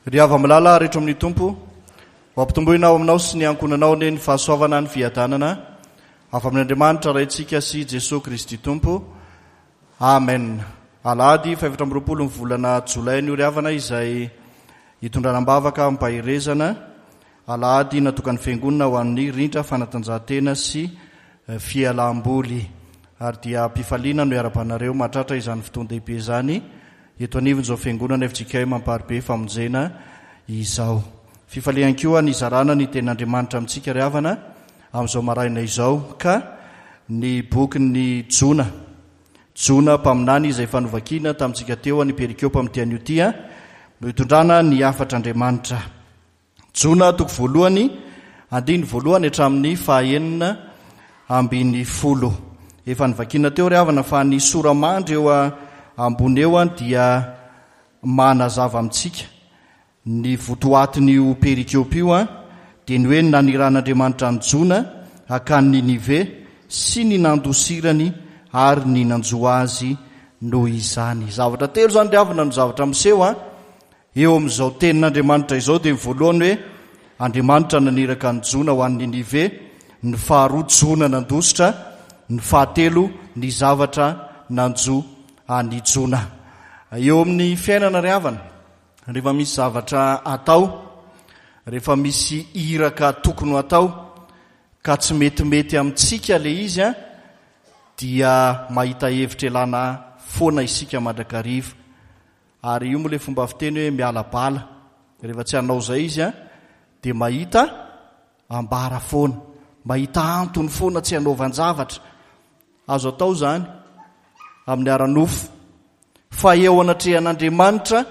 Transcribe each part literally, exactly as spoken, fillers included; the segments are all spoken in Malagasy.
Ry hava-malala rehetra amin'ny Tompo, ho ampitomboina ao aminao sy ny ankohonanao anie ny fahasoavana, ny fiadanana avy amin'Andriamanitra Raintsika sy Jesoa Kristy Tompo. Amen. Alahady fahefatra amby roapolo ny volana jolay ny ory havana izay hitondrana am-bavaka ampaherezana. Alahady natokan'ny Fiangonana ho an'ny rindra fanatanjahantena sy fialam-boly. Ary dia am-pifaliana no iarabanareo mahatratra izany fotoan-dehibe izany eto anivon'izao Fiangonana F J K M Amparibe Famonjena izao. Fifalian koa nizarana ny tenin'Andriamanitra amintsika ry havana amin'izao maraina izao, ka ny bokin'ny Jona, Jona mpaminany izay efa novakiana tamintsika teo any perikopa amin'ity anio ity no hitondrana ny hafatr'Andriamanitra. Jona toko voalohany, andininy voalohany hatramin'ny fahaenina ambin'ny folo. Efa novakiana teo ry havana fa ny sora-mandry eo ambony eo dia manazava amintsika ny votoatin'io perikopa io, dia ny hoe naniran'Andriamanitra an'i Jona hakany Ninive sy ny nandosirany ary ny nanjo azy noho izany. Zavatra telo izany ry havana no zavatra miseho a eo amin'izao tenin'Andriamanitra izao. Dia ny voalohany hoe Andriamanitra naniraka an'i Jona ho an'i Ninive, ny faharoa Jona nandositra, ny fahatelo ny zavatra nanjo an'i Jona. Eo amin'ny fiainana ry havana, rehefa misy zavatra atao, rehefa misy iraka tokony ho atao ka tsy metimety amintsika le izy a, dia mahita hevitra elana foana isika mandrakariva. Ary io moa le fomba fiteny hoe miala bala, rehefa tsy hanao izay izy a, dia mahita ambara foana, mahita antony foana tsy hanaovan-javatra. Azo atao izany amin'ny ara-nofo, fa eo anatrehan'Andriamanitra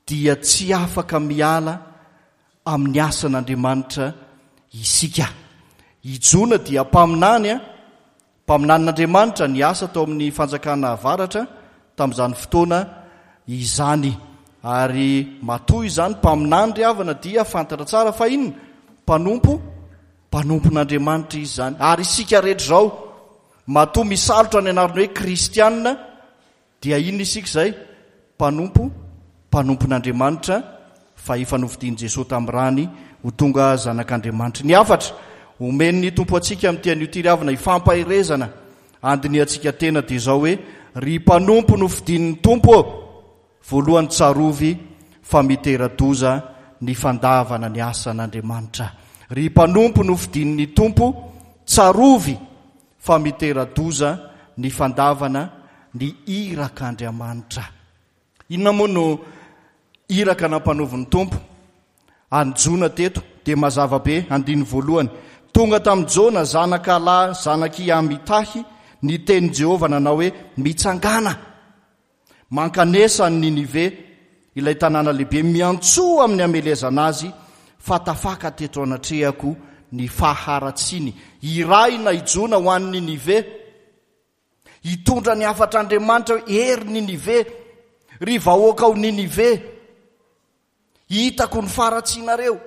dia tsy afaka miala amin'ny asan'Andriamanitra isika. I Jona dia mpaminany a, mpaminanin'Andriamanitra niasa tao amin'ny fanjakana avaratra tamin'izany fotoana izany. Ary matoa izany mpaminany ry havana dia fantatra tsara fa inona? Mpanompo, mpanompon'Andriamanitra izy izany. Ary isika rehetra izao matoa misalotra ny anarana hoe kristianina dia inona isika izay? Mpanompo, mpanompon'Andriamanitra fa efa nofidin'i Jesoa tamin'ny rany ho tonga zanak'Andriamanitra. Ny hafatra omen'ny Tompo antsika amin'ity anio ity ry havana hifampaherezana andinihantsika tena dia izao hoe ry mpanompo nofidin'ny Tompo ô, voalohany tsarovy fa mitera-doza ny fandavana ny asan'Andriamanitra. Ry mpanompo nofidin'ny Tompo, tsarovy fa mitera-doza ny fandavana ny irak'Andriamanitra. Inona moa no iraka nampanovin'ny Tompo an'i Jona teto? Dia mazava be, andininy voalohany. Tonga tamin'i Jona zanaka lahy zanak'i Amitahy ny tenin'i Jehovah nanao hoe mitsangàna, mankanesa an'i Ninive, ilay tanàna lehibe, miantsoa amin'ny hamelezana azy fa tafaka teto anatrehako ny faharatsiany. Irahina i Jona ho an'i Ninive, hitondra ny hafatr'Andriamanitra hoe hery Ninive, ry vahoaka ao Ninive, hitako ny faharatsianareo,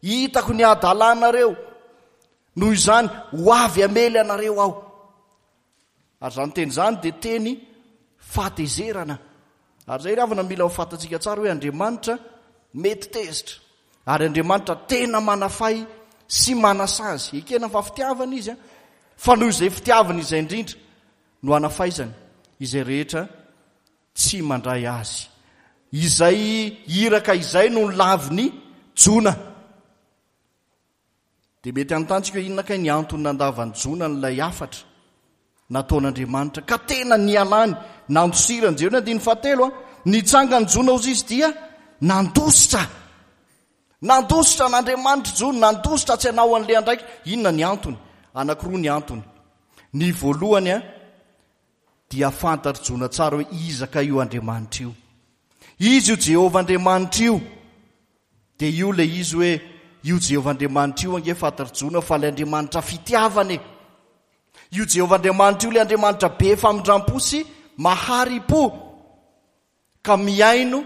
hitako ny hadalanareo, noho izany ho avy hamely anareo aho. Ary izany teny izany dia teny fahatezerana. Ary izay ry havana mila ho fantatsika tsara hoe Andriamanitra mety tezitra, ary Andriamanitra tena manafay sy manasazy. Ekena fa fitiavana izy, fa noho izay fitiavana izay indrindra no anafaizany izay rehetra tsy mandray azy. Izay iraka izay no nolavin'i Jona. Dia mety hanontany hoe inona kay ny antony nandavan'i Jona an'ilay hafatra nataon'Andriamanitra ka tena nialany, nandosirany. Jereo ny andininy fahatelo, a, nitsangan'i Jona hozy izy dia nandositra. Nandositra an'Andriamanitra Jona, nandositra tsy hanao an'ilay andraikitra. Inona ny antony? Anankiroa ny antony. Ny voalohany a, dia fantatr'i Jona tsara hoe iza ka io Andriamanitra io. Izy io Jehovah Andriamanitra io. Dia io ilay izy hoe io Jehovah Andriamanitra io ange fantatr'i Jona fa ilay Andriamanitra fitiavana e. Io Jehovah Andriamanitra io ilay Andriamanitra be famindram-po sy mahari-po ka mihaino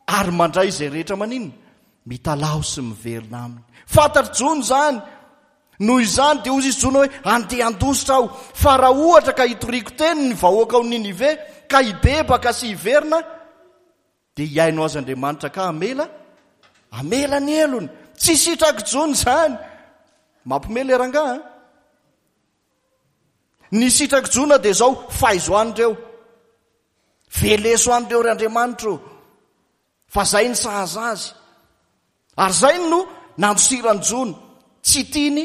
ary mandray izay rehetra maninona? Mitalaho sy miverina aminy. Fantatr'i Jona izany. Noho izany dia hoy izy Jona hoe andeha handositra aho, fa raha ohatra ka hitoriako teny ny vahoaka ao Ninive ka hibebaka sy hiverina Dia hihaino azy Andriamanitra ka hamela, hamela ny helony. Tsy sitrak'i Jona izany. Mampiomehy ilay rangahy an! Ny sitrak'i Jona dia izao, faizo any ireo. Veleso any ireo ry Andriamanitra o! Fa izay ny sahaza azy. Ary izay no nandosiran'i Jona. Tsy tiany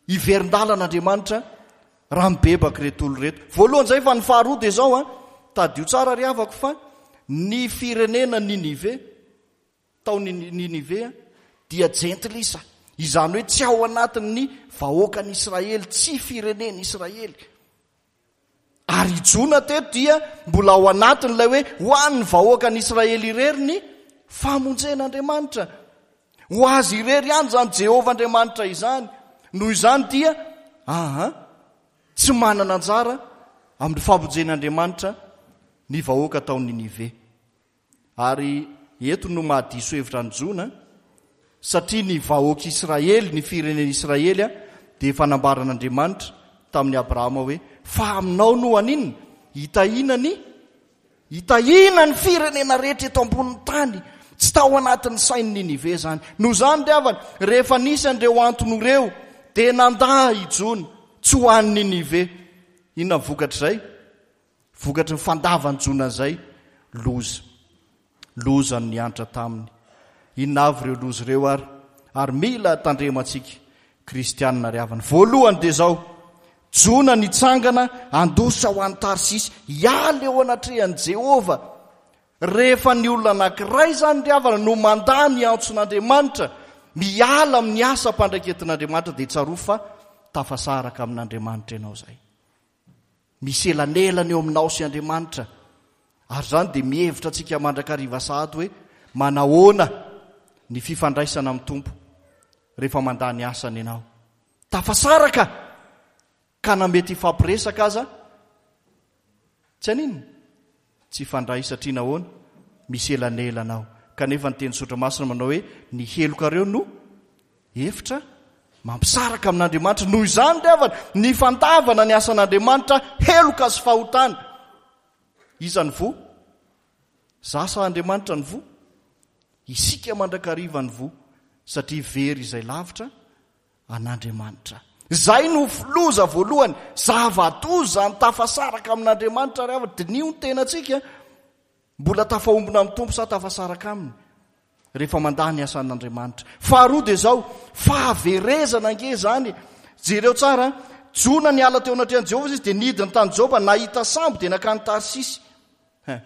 hiverin-dalana Andriamanitra raha mibebaka ireto olona ireto. Voalohany izay, fa ny faharoa dia izao an, tadidio tsara ry havako fa ny firenena Ninive, tao Ninive dia jentilisa, izany hoe tsy ao anatin'ny vahoakan'Israely, tsy firenen'Israely. Ary i Jona teto dia mbola ao anatin'ilay hoe ho an'ny vahoakan'Israely irery ny famonjen'Andriamanitra. Ho azy irery ihany izany Jehovah Andriamanitra izany. Noho izany dia aha, tsy manana anjara amin'ny famonjen'Andriamanitra ny vahoaka tao Ninive. Ary eto no mahadiso hevitra an'i Jona, satria ny vahoak'Israely, ny firenen'Israely, dia efa nambaran'Andriamanitra tamin'i Abrahama hoe, fa aminao no haninona? Hitahiana ny, hitahiana ny firenena rehetra eto ambonin'ny tany. Tsy tao anatin'ny sain'i Ninive izany. Noho izany ry havana, rehefa nisy an'ireo antony ireo, dia nandà i Jona tsy ho any Ninive. Inona ny vokatr'izay? Vokatry ny fandavan'i Jona an'izay, loza. Loza no niantra taminy. Inona avy ireo loza ireo ary? Ary mila tandremantsika kristianina ry havana. Voalohany dia izao, Jona nitsangana handositra ho any Tarsisy, hiala eo anatrehan'i Jehovah. Rehefa ny olona anankiray izany ry havana no mandà ny antson'Andriamanitra, miala amin'ny asa ampandraiketin'Andriamanitra, dia tsarovy fa tafasaraka amin'Andriamanitra ianao izay. Misy elanelana eo aminao sy Andriamanitra. Ary izany dia mihevitra antsika mandrakariva sahady hoe manahoana ny fifandraisana amin'ny Tompo rehefa mandà ny asany ianao. Tafasaraka ka na mety hifampiresaka aza tsy haninona, tsy hifandray satria nahoana? Misy elanelana ao. Kanefa ny teny Soratra Masina manao hoe ny helokareo no efitra mampisaraka amin'Andriamanitra. Noho izany ry havana, ny fandavana ny asan'Andriamanitra heloka sy fahotana. Iza ny voa? Za sa Andriamanitra ny voa? Isika mandrakariva ny voa, satria very izay lavitra an'Andriamanitra. Izay no loza voalohany, zava-doza ny tafasaraka amin'Andriamanitra ry havana. Diniho ny tenantsika, mbola tafaombona amin'ny Tompo sa tafasaraka aminy rehefa mandà ny asan'Andriamanitra. Faharoa dia izao, fahaverezana ange izany. Jereo tsara, Jona niala teo anatrehan'i Jehovah izy dia nidina tany Jopa, nahita sambo dia nankany Tarsisy. Hein.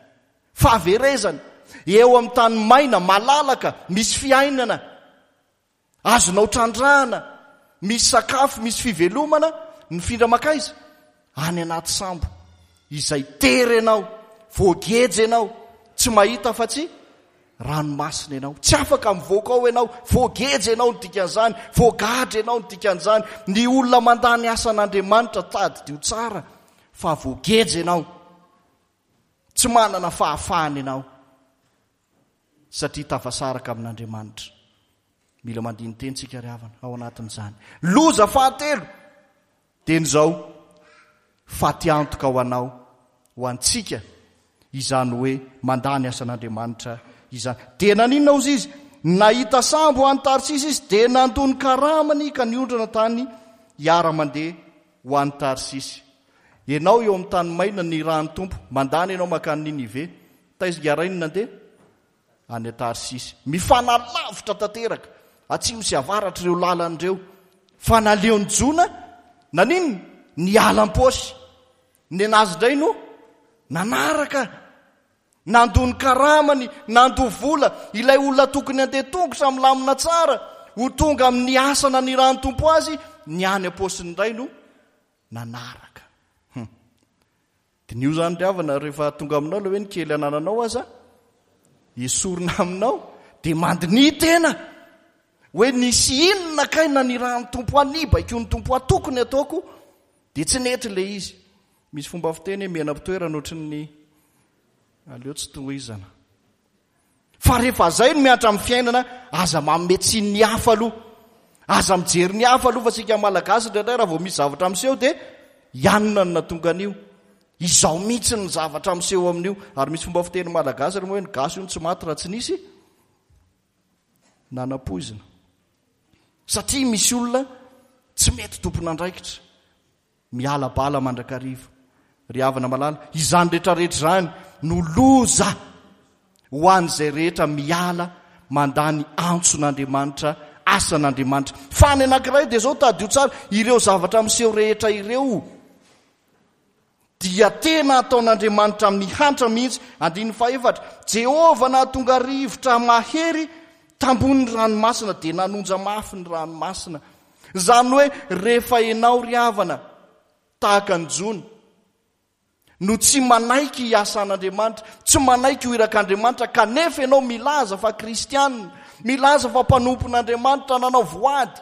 Fahaverezana. Eo amin'ny tany maina, malalaka, misy fiainana. Azonao trandrahana, misy sakafo, misy fivelomana, mifindra mankaiza? Any anaty sambo, izay tery ianao, voageja ianao, tsy mahita afa-tsy ranomasina ianao, tsy afaka mivoaka ao ianao, voageja ianao ny dikan'izany, voagadra ianao ny dikan'izany. Ny olona mandà ny asan'Andriamanitra, tadidio tsara fa voageja ianao, tsy manana fahafahana ianao, satria tafasaraka amin'Andriamanitra. Mila mandini-teny tsika ry havana ao anatin'izany. Loza fahatelo dia ny izao, fatiantoka ho anao, ho antsika, izany hoe mandà ny asan'Andriamanitra izany. Dia naninona ozy izy? Nahita sambo ho any Tarsisy izy, dia nandoa ny karamany ka niondrana tany hiara-mandeha ho any Tarsisy. Ianao eo amin'ny tany maina nirahan'ny Tompo, mandany ianao mankany Ninive. Taiza ingahy no nandeha? Any Tarsisy. Mifanalavitra tanteraka, atsimo sy avaratra ireo lalana ireo. Fa naleon'i Jona, naninona? Niala am-paosy. Nenazy indray no nanaraka. Nandoa ny karamany, nandoa vola. Ilay olona tokony handeha tongotra milamina tsara, ho tonga amin'ny asa nanirahan'ny Tompo azy, ny any am-paosiny indray no nanaraka. Hum. Diniho izany ry havana, rehefa tonga aminao ilay hoe ny kely anananao aza esorina aminao, dia mandiniha tena hoe nisy inona kay nanirahan'ny Tompo ahy, nibaikoan'ny Tompo ahy, tokony ataoko, dia tsy nety ilay izy. Misy fomba fiteny hoe mena-pitoerana ohatry ny aleo tsy tohizana. Fa rehefa izay no mihatra amin'ny fiainana, aza manome tsiny ny hafa aloha. Aza mijery ny hafa aloha, fa isika Malagasy indraindray raha vao misy zavatra miseho dia ianona no nahatonga an'io. Izao mihitsy ny zavatra miseho amin'io. Ary misy fomba fiteny malagasy ary moa hoe ny gasy io no tsy maty raha tsy nisy nanapoizina. Satria misy olona tsy mety tompon'andraikitra, miala bala mandrakariva. Ry havana malala, izany rehetrarehetra izany no loza ho an'izay rehetra miala mandà ny antson'Andriamanitra, asan'Andriamanitra. Fa ny anankiray dia izao, tadidio tsara, ireo zavatra miseho rehetra ireo dia tena ataon'Andriamanitra mihantra mihitsy. Andininy fahefatra, Jehovah nahatonga rivotra mahery tambonin'ny ranomasina, dia nanonja mafy ny ranomasina. Izany hoe rehefa ianao ry havana tahaka an'i Jona no tsy manaiky hiasa an'Andriamanitra, tsy manaiky ho irak'Andriamanitra, kanefa ianao milaza fa kristianina, milaza fa mpanompon'Andriamanitra, nanao voady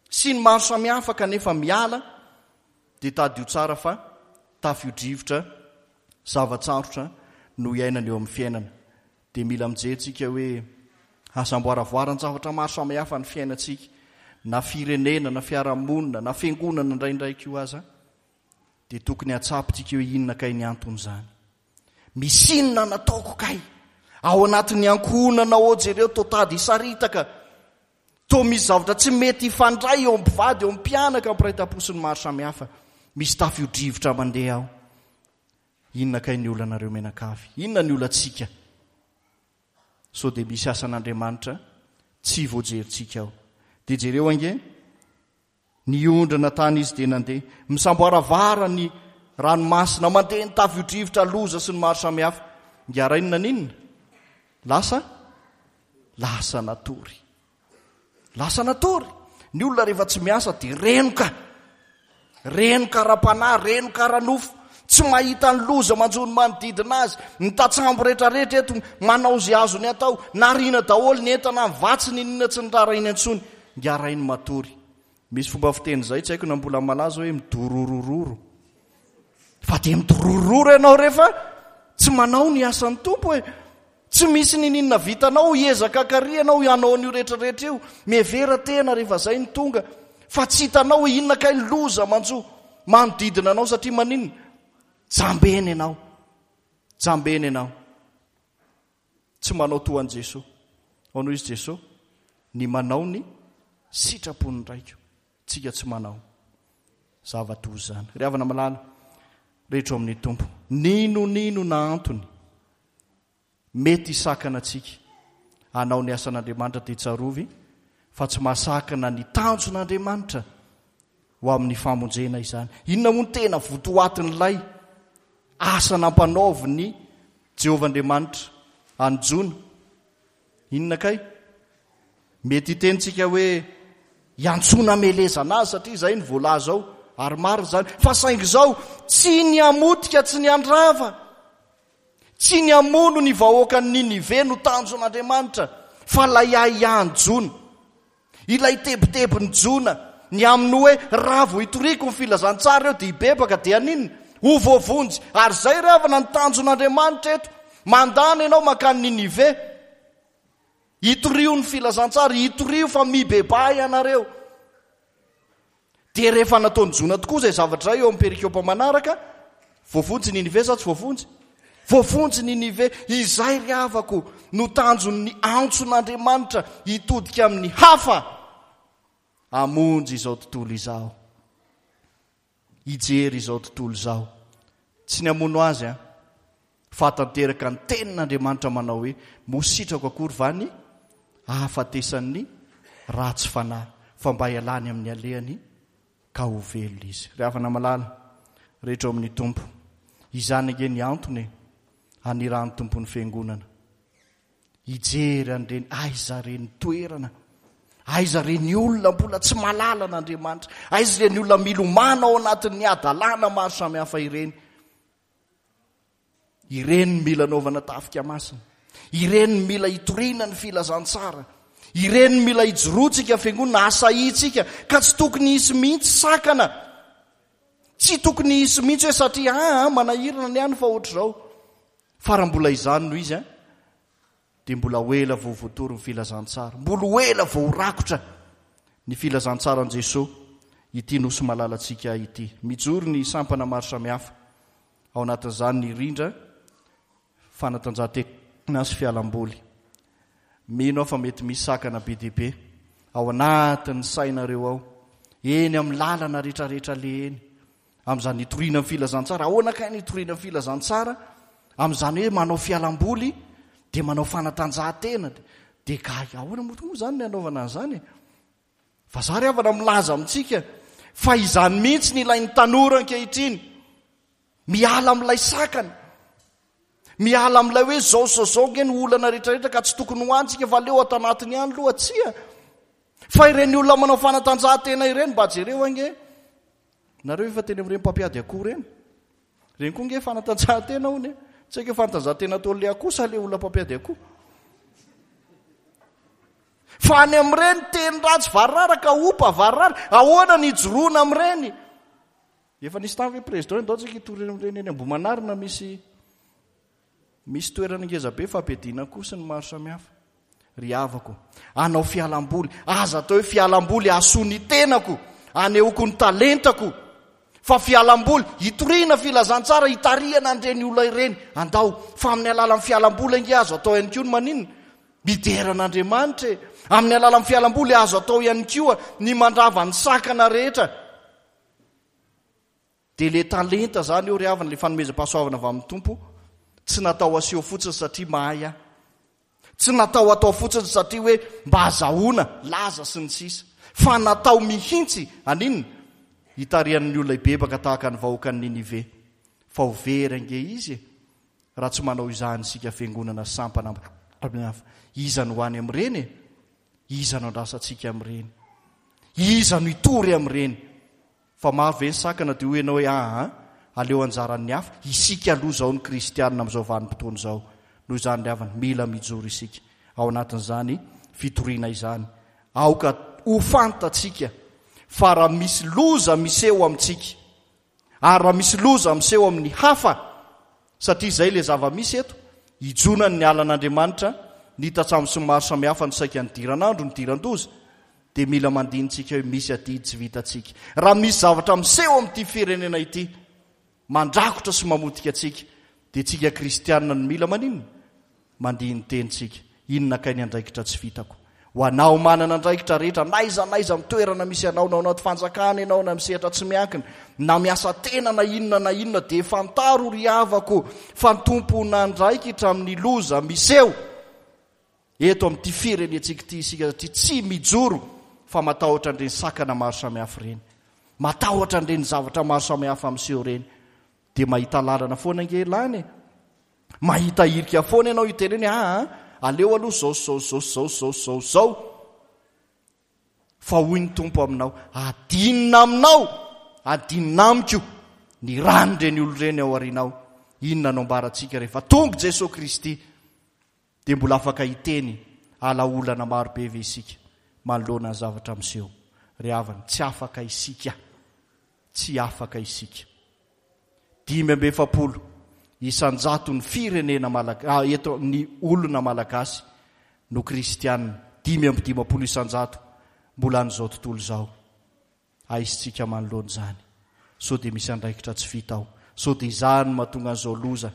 sy ny maro samihafa, kanefa miala, dia tadidio tsara fa tafio-drivotra, zava-tsarotra no iainana eo amin'ny fiainana. Dia mila mijery tsika hoe aza amboaravoaran-javatra maro samihafa ny fiainantsika, na firenena, na fiarahamonina, na fiangonana indraindray koa aza, dia tokony hatsapitsika hoe inona kay ny anton'izany. Misy inona nataoko kay? Ao anatin'ny ankohonana ao, jereo, toa tady hisaritaka, toa misy zavatra tsy mety hifandray eo amin'ny mpivady, eo amin'ny mpianaka, mpiray tampo sy ny maro samihafa. Misy tafio-drivotra mandeha ao. Inona kay ny olanareo mianakavy? Inona ny olantsika? Sao dia misy asan'Andriamanitra tsy voajerintsika ao. Dia jereo ange, niondrana tany izy dia nandeha. Misamboaravara ny ranomasina, mandeha ny tafio-drivotra, loza sy ny maro samihafa. Ngarainina n'inona? Lasa? Lasa natory. Lasa natory. Ny olona rehefa tsy miasa dia renoka. Renoka ara-panahy, renoka ara-nofo. Tsy mahita ny loza manjo ny manodidina azy. Ny tatsambo rehetrarehetra eto manao izay azony atao. Nariana daholo ny entana, ny vatsy, ny inona tsy niraharahiana intsony. Ngarainy matory. Misy fomba fiteny izay, tsy haiko na mbola malaza hoe midororororo. Fa dia midororororo ianao rehefa tsy manao ny asan'ny Tompo e. Tsy misy nininona vitanao, hiezaka kary ianao hanao an'io rehetrarehetra io. Mihevera tena rehefa izay no tonga. Fa tsy hitanao hoe inona kay loza manjo manodidina anao, satria maninona? Jambena ianao. Jambena ianao. Tsy manao toa an'i Jesoa. Ao no izy Jesoa, ny manao ny sitrapon'ny Raiko. Tsika tsy manao zava-doza izany. Ry havana malala, rehetra ao amin'ny Tompo, nino nino na antony mety hisakana antsika hanao ny asan'Andriamanitra, dia tsarovy fa tsy mahasakana ny tanjon'Andriamanitra ho amin'ny famonjena izany. Inona moa no tena votoatin'ilay asa nampanaovin'i Jehovah Andriamanitra an'i Jona? Inona kay? Mety hitentsika hoe hiantsoana hamelezana azy, satria izay no voalaza ao, ary marina izany. Fa saingy izao, tsy ny hamotika, tsy ny handrava, tsy ny hamono ny vahoakan'i Ninive no tanjon'Andriamanitra, fa ilay ahiahin'i Jona, ilay tebitebin'i Jona, ny amin'ny hoe raha vao hitoriako ny filazantsara eo dia hibebaka, dia haninona? Ho voavonjy. Ary izay ry havana ny tanjon'Andriamanitra eto. Mandana ianao mankany Ninive, hitorio ny filazantsara, hitorio fa mibebaha ianareo. Dia rehefa nataon'i Jona tokoa izay zavatra izay eo amin'ny perikopa manaraka, voavonjy Ninive sa tsy voavonjy? Voavonjy Ninive. Izay ry havako no tanjon'ny antson'Andriamanitra, hitodika amin'ny hafa, hamonjy izao tontolo izao, hijery izao tontolo izao. Tsy ny hamono azy, an, fa tanteraka ny tenin'Andriamanitra manao hoe moa sitrako akory va ny ahafatesan'ny ratsy fanahy, fa mba hialany amin'ny alehany ka ho velona izy. Ry havana malala rehetra ao amin'ny Tompo, izany ange ny antony hanirahan'ny Tompo ny fiangonana hijery an'ireny, aiza ireny toerana, aiza ireny olona mbola tsy mahalala an'Andriamanitra, aiza ireny olona milomano ao anatin'ny hadalana maro samihafa ireny. Ireny mila anaovana tafika masina, ireny mila hitoriana ny filazantsara, ireny mila hijoroantsika fiangonana, asahintsika, ka tsy tokony hisy mihitsy sakana. Tsy tokony hisy mihitsy hoe satria ah, manahirana ny any fa ohatr'izao. Fa raha mbola izany no izy, an, dia mbola ho ela vao voatory ny filazantsara, mbola ho ela vao ho rakotra ny filazantsaran'i Jesoa ity nosy malalantsika ity. Mijoro ny sampana maro samihafa, ao anatin'izany ny rindra, fanatanjahantena sy fialamboly. Mino aho fa mety misy sakana be dia be ao anatin'ny sainareo ao, eny amin'ny lalana rehetrarehetra le eny, amin'izany hitoriana ny filazantsara. Ahoana kay ny hitoriana ny filazantsara? Amin'izany hoe manao fialamboly dia manao fanatanjahantena dia gaga. Ahoana moa tokoa izany ny anaovana an'izany e? Fa za ry havana milaza amintsika fa izany mihitsy ny ilain'ny tanora ankehitriny. Miala amin'ilay sakana, miala amin'ilay hoe zao zao zao nge ny olana rehetrarehetra ka tsy tokony ho antsika fa aleo ato anatiny ihany loha. Tsia, fa ireny olona manao fanatanjahantena ireny mba jereo ange nareo efa teny amin'ireny mpampiady akoho ireny, ireny koa nge fanatanjahantena hono e. Tsy haiko hoe fanatanjahantena ataon'ilay akoho sa ilay olona mpampiady akoho. Fa any amin'ireny teny ratsy variraraka, opa variraraka, ahoana ny hijoroana amin'ireny? Efa nisy tany hoe président ndao tsika hitory amin'ireny eny Ambohimanarina, misy, misy toerana ngeza be fampiadiana akoho sy ny maro samihafa. Ry havako, anao fialamboly, aza atao hoe fialamboly hahasoa ny tenako, anehoako ny talentako, fa fialamboly hitoriana filazantsara, hitarihana an'ireny olona ireny. Andao, fa amin'ny alalan'ny fialamboly ange azo atao ihany koa ny maninona? Midera an'Andriamanitra e. Amin'ny alalan'ny fialamboly azo atao ihany koa ny mandrava ny sakana rehetra. Dia le talenta zany eo ry havana, le fanomezam-pahasoavana avy amin'ny Tompo, tsy natao aseho fotsiny satria mahay aho. Tsy natao atao fotsiny satria hoe mba azahoana laza sy ny sisa. Fa natao mihitsy aninona? Hitarihan'ny olona hibebaka tahaka ny vahoakan'i Ninive. Fa ho very ange izy e, raha tsy manao izany isika fiangonana sampana hafa. Iza no ho any amin'ireny e? Iza no andrasantsika amin'ireny? Iza no hitory amin'ireny? Fa maro ve ny sakana dia hoy ianao hoe aa, aleo anjaran'ny hafa. Isika aloha izao ny kristianina amin'izao vanim-potoana izao. Noho izany ry havana, mila mijoro isika ao anatin'izany fitoriana izany. Aoka ho fantatsika fa raha misy loza miseho amintsika, ary raha misy loza miseho amin'ny hafa, satria izay ilay zava-misy eto, hijonany ny alan'Andriamanitra, ny tatsambo sy ny maro samihafa no saika nidiran'andro, nidiran-doza, dia mila mandinintsika hoe misy adidy tsy vitantsika. Raha misy zavatra miseho amin'ity firenena ity, mandrakotra sy mamotika antsika, dia tsika kristianina no mila maninona? Mandini-teny tsika. Inona kay ny andraikitra tsy vitako? Ho anao manana andraikitra rehetra, n'aiza n'aiza amin'ny toerana misy anao, na ao anaty fanjakana ianao, na misehatra tsy miankina, na miasa tena, na inona na inona, dia fantaro ry havako fa ny tompon'andraikitra amin'ny loza miseho eto amin'ity firenentsika ity isika, satria tsy mijoro fa matahotra an'ireny sakana maro samihafa ireny, matahotra an'ireny zavatra maro samihafa miseho ireny. Dia mahita lalana foana ange lany e. Mahita hirika foana ianao hiteneny, aa, aleo aloha zao, zao, zao, zao, zao, zao, zao. Fa hoy ny Tompo aminao, adinina aminao, adinina amiko ny ran'ireny olona ireny ao aorianao. Inona no ambarantsika rehefa tonga Jesoa Kristy? Dia mbola afaka hiteny ala olana maro be ve isika manoloana ny zavatra miseho? Ry havana, tsy afaka isika. Tsy afaka isika. Dimy amby efapolo isan-jato ny firenena malaga-, ah, eto ny olona malagasy no kristianina. Dimy amby dimampolo isan-jato mbola an'izao tontolo izao. Aisitsika manoloana izany. Sao dia misy andraikitra tsy vita ao. Sao dia izany no mahatonga an'izao loza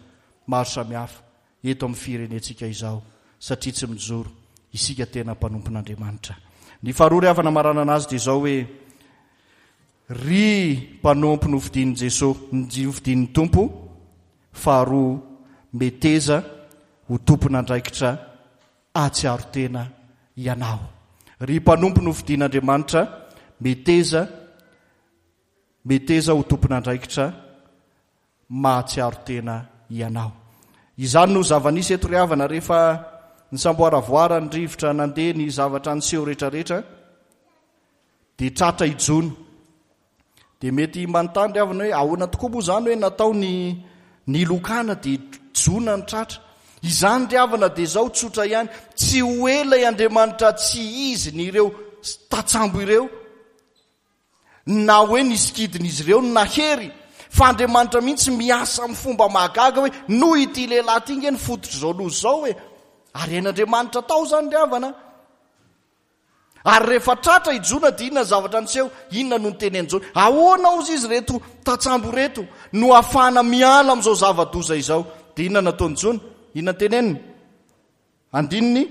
maro samihafa eto amin'ny firenentsika izao, satria tsy mijoro isika tena mpanompon'Andriamanitra. Ny faharoa ry havana maranana azy dia izao hoe, ry mpanompo nofidin'i Jesoa, nofidin'ny Tompo, faharoa meteza ho tompon'andraikitra ahatsiaro tena ianao. Ry mpanompo nofidin'Andriamanitra, meteza, meteza ho tompon'andraikitra mahatsiaro tena ianao. Izany no zava-nisy eto ry havana rehefa nisamboaravoara ny rivotra nandeha ny zavatra niseho rehetrarehetra, dia tratra i Jona. Dia mety manontany ry havana hoe ahoana tokoa moa izany hoe natao ny nilokana dia Jona ny tratra. Izany ry havana dia izao tsotra ihany, tsy ho ela i Andriamanitra tsy izy ny ireo tatsambo ireo, na hoe nisikidin'izy ireo no nahery, fa Andriamanitra mihitsy miasa amin'ny fomba mahagaga hoe noho ity lehilahy ity nge ny fototr'izao loza izao e. Ary hain'Andriamanitra tao izany ry havana. Ary rehefa tratra i Jona dia inona ny zavatra niseho? Inona no nitenen'i Jona? Ahoana hozy izy ireto tantsambo ireto no ahafahana miala amin'izao zava-doza izao? Dia inona nataon'i Jona? Inona noteneniny? Andininy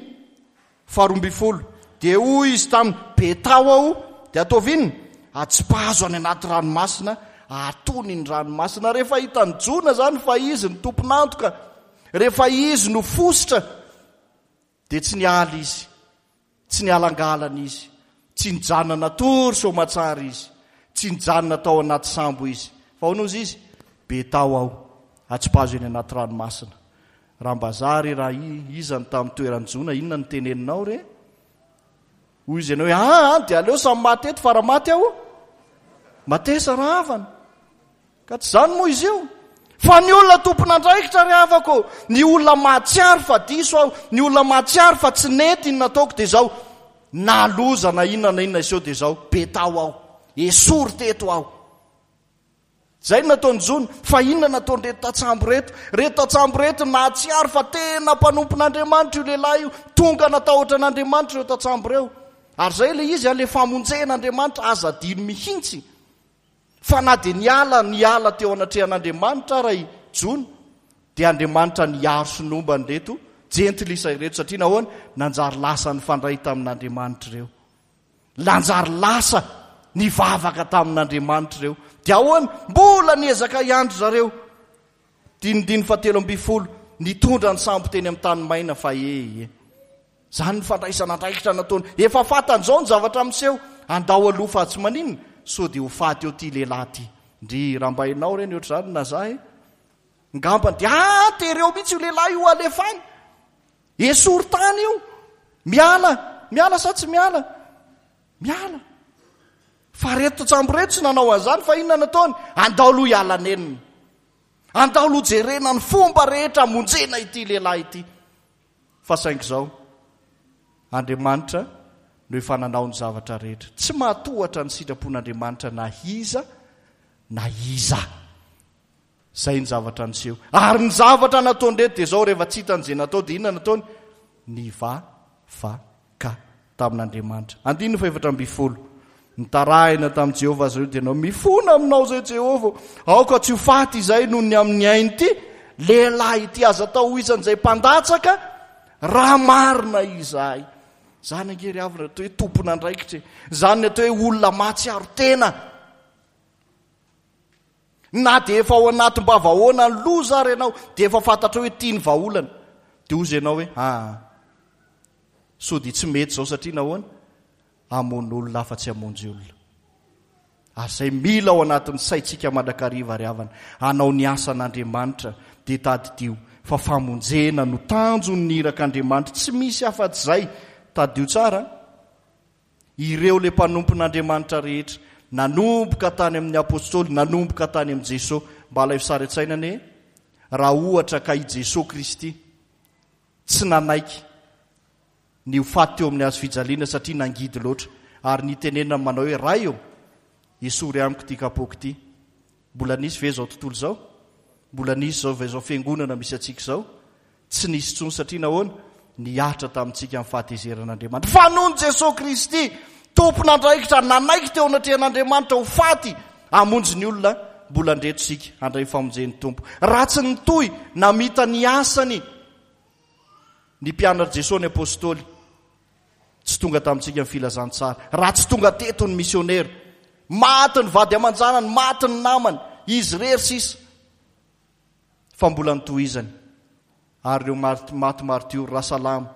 faharoa ambin'ny folo. Dia hoy izy taminy, Betao aho, dia ataovy inona? Atsipazo any anaty ranomasina, ahatony ny ranomasina. Rehefa hitan'i Jona izany fa izy no tompon'antoka, rehefa izy no fositra, dia tsy niala izy, tsy nialangalana izy, tsy nijanona natory soamatsara izy, tsy nijanona tao anaty sambo izy. Fa ahoana hozy izy? Betao aho, atsipazo eny anaty ranomasina. Raha mba za re, raha iza no tamin'ny toeran'i Jona, inona no teneninao re? Hoy izy ianao hoe, aa, dia aleo samy maty eto fa raha maty aho, matesa rahavana. Ka tsy izany moa izy io. Fa ny olona tompon'andraikitra ry havako, ny olona mahatsiaro fa diso aho, ny olona mahatsiaro fa tsy nety ny nataoko dia izao, na loza na inona na inona iseho dia izao, betao aho, esory teto aho. Izay no nataon'i Jona. Fa inona nataon'ireto tantsambo ireto? Ireto tantsambo ireto nahatsiaro fa tena mpanompon'Andriamanitra io lehilahy io. Tonga natahotra an'Andriamanitra ireo tantsambo ireo. Ary izay ilay izy, ilay famonjen'Andriamanitra, aza adino mihitsy. Fa na dia niala niala teo anatrehan'Andriamanitra ara i Jona, dia Andriamanitra niaro sy nomba an'ireto jentilisa ireto, satria nahoana? Nanjary lasa nifandray tamin'Andriamanitra ireo. Nanjary lasa nivavaka tamin'Andriamanitra ireo. Dia ahoana? Mbola niezaka ihany ry zareo. Dinidiny fahatelo ambin'ny folo, nitondra ny sambo teny amin'ny tany maina fa ee. Izany ny fandraisana andraikitra nataony. Efa fantany izao ny zavatra miseho. Andao aloha fa tsy maninona, sao dia ho faty eo ity lehilahy ity. Ndry, raha mba ianao re ny ohatr'izany na za e. Ngambany dia ah, tereo mihitsy io lehilahy io alefa any. Esory tany io. Miala, miala sa tsy miala? Miala. Fa reto tsambo reto tsy nanao an'izany, fa inona nataony? Andao aloha hiala nenina. Andao aloha jerena ny fomba rehetra hamonjena ity lehilahy ity. Fa saingy izao, Andriamanitra no efa nanao ny zavatra rehetra. Tsy mahatohatra ny sitrapon'Andriamanitra na iza na iza. Izay ny zavatra niseho. Ary ny zavatra nataon'ireto dia izao, rehefa tsy hitany izay natao dia inona nataony? Nivavaka tamin'Andriamanitra. Andininy fahefatra ambin'ny folo. Nitarahina tamin'i Jehovah azy ireo dia nanao, mifona aminao izay Jehovah, aoka tsy ho faty izay noho ny amin'ny ain'ity lehilahy ity, aza atao ho isan'izay mpandatsaka raha marina izahay. Izany ange ry havana atao hoe tompon'andraikitra e. Izany ny atao hoe olona mahatsiaro tena. Na dia efa ao anatim-bavahoana ny loza ary ianao, dia efa fantatrao hoe ity ny vahaolana. Dia hozy ianao hoe, aa, sao dia tsy mety izao satria nahoana? Hamono olona afa-tsy hamonjy olona. Ary izay mila ao anatin'ny saintsika mandrakariva ry havana, hanao ny asan'Andriamanitra, dia tadidio fa famonjena no tanjon'ny irak'Andriamanitra, tsy misy afa-tsy izay. Tadidio tsara an! Ireo ilay mpanompon'Andriamanitra rehetra, nanomboka tany amin'ny Apostoly, nanomboka tany amin'i Jesoa. Mba alaivo sary an-tsaina anie, raha ohatra ka i Jesoa Kristy tsy nanaiky ny ho faty teo amin'ny hazo fijaliana satria nangidy loatra, ary nitenenany manao hoe, Ray ô, esory amiko ity kapoaka ity. Mbola nisy ve izao tontolo izao? Mbola nisy izao ve izao fiangonana misy antsika izao? Tsy nisy intsony satria nahoana? Nihatra tamintsika ny fahatezeran'Andriamanitra. Fa noho Jesoa Kristy, tompon'andraikitra, nanaiky teo anatrehan'Andriamanitra ho faty hamonjy ny olona, mbola ndreto isika handray ny famonjen'ny Tompo. Raha tsy nitohy namita ny asany ny mpianatr'i Jesoa, ny Apostoly, tsy tonga tamintsika ny filazantsara. Raha tsy tonga teto ny misionera, maty ny vady aman-janany, maty ny namany, izy irery sisa. Fa mbola notohizany. Ary ireo maty martiora, Rasalama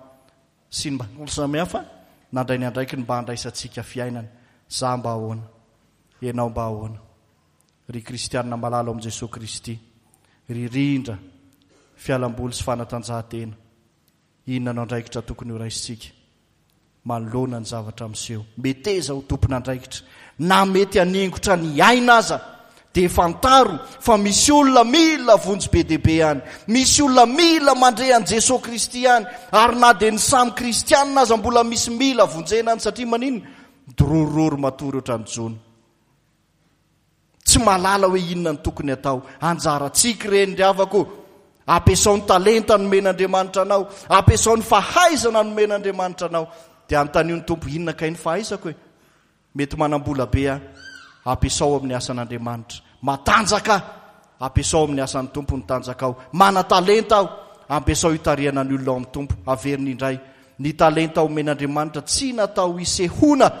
sy ny maro samihafa, nandray ny andraikiny mba handraisantsika fiainana. Za mba ahoana? Ianao mba ahoana? Ry kristianina malala ao amin'i Jesoa Kristy, ry rindra, fialamboly sy fanatanjahantena, inona no andraikitra tokony horaisintsika manoloana ny zavatra miseho? Meteza ho tompon'andraikitra, na mety haningotra ny aina aza, dia fantaro fa misy olona mila vonjy be dia be any, misy olona mila mandre an'i Jesoa Kristy any, ary na dia ny samy kristianina aza mbola misy mila vonjena any, satria maninona? Midorororo matory ohatran'ny jono. Tsy mahalala hoe inona no tokony atao. Anjarantsika ireny ry havako. Ampiasao ny talenta nomen'Andriamanitra anao. Ampiasao ny fahaizana nomen'Andriamanitra anao. Dia anontanio ny Tompo, inona kay ny fahaizako e? Mety manam-bola be aho, ampiasao amin'ny asan'Andriamanitra. Matanjaka aho, ampiasao amin'ny asan'ny Tompo ny tanjakao. Manan-talenta aho, ampiasao hitarihana ny olona ao amin'ny Tompo. Averiny indray, ny talenta omen'Andriamanitra tsy natao hisehoana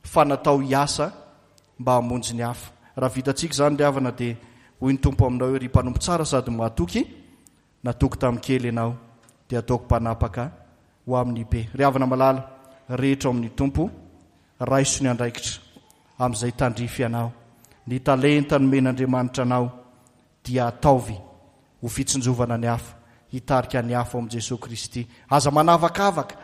fa natao hiasa mba hamonjy ny hafa. Raha vitantsika izany ry havana dia hoy ny Tompo aminao hoe, ry mpanompo tsara sady mahatoky, natoky tamin'ny kely ianao, dia ataoko mpanapaka ho amin'ny be. Ry havana malala, rehetra ao amin'ny Tompo, raiso ny andraikitra amin'izay tandrify anao. Ny talenta nomen'Andriamanitra anao dia ataovy ho fitsinjovana ny hafa, hitarika ny hafa ao amin'i Jesoa Kristy. Aza manavakavaka,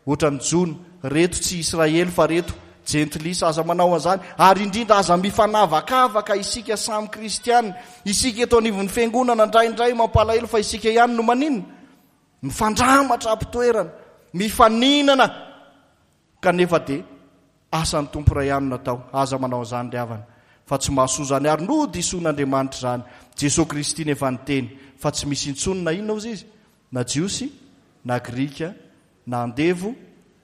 ohatran'i Jona, reto tsy Israely fa reto jentilisa, aza manao an'izany. Ary indrindra aza mifanavakavaka isika samy kristiana. Isika eto anivon'ny fiangonana indraindray mampalahelo fa isika ihany no maninona? Mifandramatra am-pitoerana, mifaninana, kanefa dia asan'ny Tompo iray ihany no natao. Aza manao an'izany ry havana, fa tsy mahasoa izany, ary nodisoan'Andriamanitra izany. Jesoa Kristy nefa niteny fa tsy misy intsony na inona hozy izy, na Jiosy, na Grika, na andevo,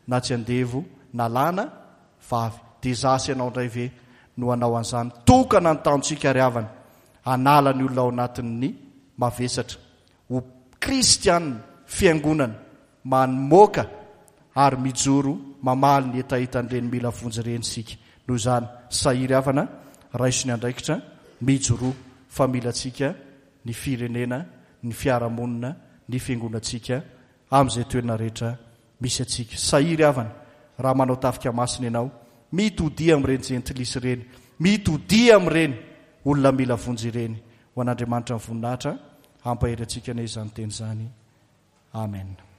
na tsy andevo, na lahy na vavy. Dia izaho sy ianao indray ve no hanao an'izany? Tokana ny tanjontsika ry havana, hanala ny olona ao anatin'ny mavesatra ho kristiana, fiangonana mamoaka ary mijoro mamaly ny hetahetan'ireny mila vonjy ireny isika. Noho izany, sahia ry havana, raiso ny andraikitra, mijoroa fa mila antsika ny firenena, ny fiarahamonina, ny fiangonantsika amin'izay toerana rehetra misy antsika. Sahia ry havana, raha manao tafika masina ianao, mitodia amin'ireny jentilisa ireny, mitodia amin'ireny olona mila vonjy ireny. Ho an'Andriamanitra ny voninahitra, hampahery antsika anie izany teny izany. Amen.